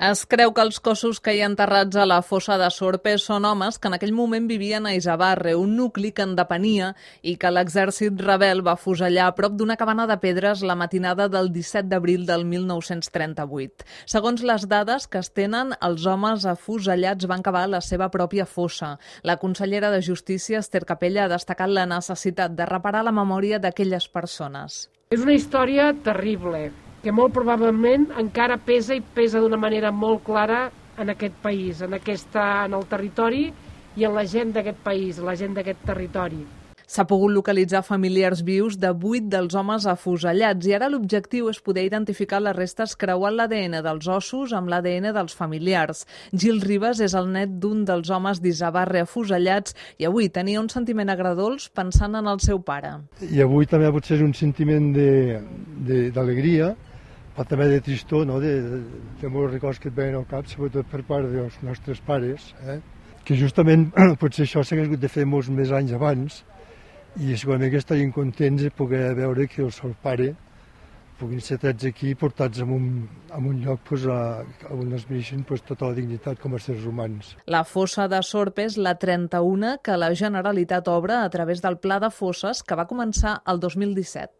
Es creu que els cossos que hi ha enterrats a la fossa de Sorpes són homes que en aquell moment vivien a Izabarre, un nucli que en depenia i que l'exèrcit rebel va fusellar a prop d'una cabana de pedres la matinada del 17 d'abril del 1938. Segons les dades que es tenen, els homes afusellats van cavar la seva pròpia fossa. La consellera de Justícia, Ester Capella, ha destacat la necessitat de reparar la memòria d'aquelles persones. És una història terrible, que molt probablement encara pesa i pesa d'una manera molt clara en aquest país, en el territori i en la gent d'aquest país, la gent d'aquest territori. S'ha pogut localitzar familiars vius de 8 dels homes afusellats i ara l'objectiu és poder identificar les restes creuant l'ADN dels ossos amb l'ADN dels familiars. Gil Ribas és el net d'un dels homes d'Izabarre afusellats i avui tenia un sentiment agredolç pensant en el seu pare. I avui també potser és un sentiment d'alegria, però també de tristor, no? de molts records que et veien al cap, sobretot per part dels nostres pares, que justament potser això s'ha hagut de fer molts més anys abans, i segurament que estarien contents de poder veure que el seu pare puguin ser trets aquí i portats a un lloc on es mereixen tota la dignitat com a éssers humans. La fossa de Sorpes, la 31, que la Generalitat obre a través del Pla de Fosses que va començar el 2017.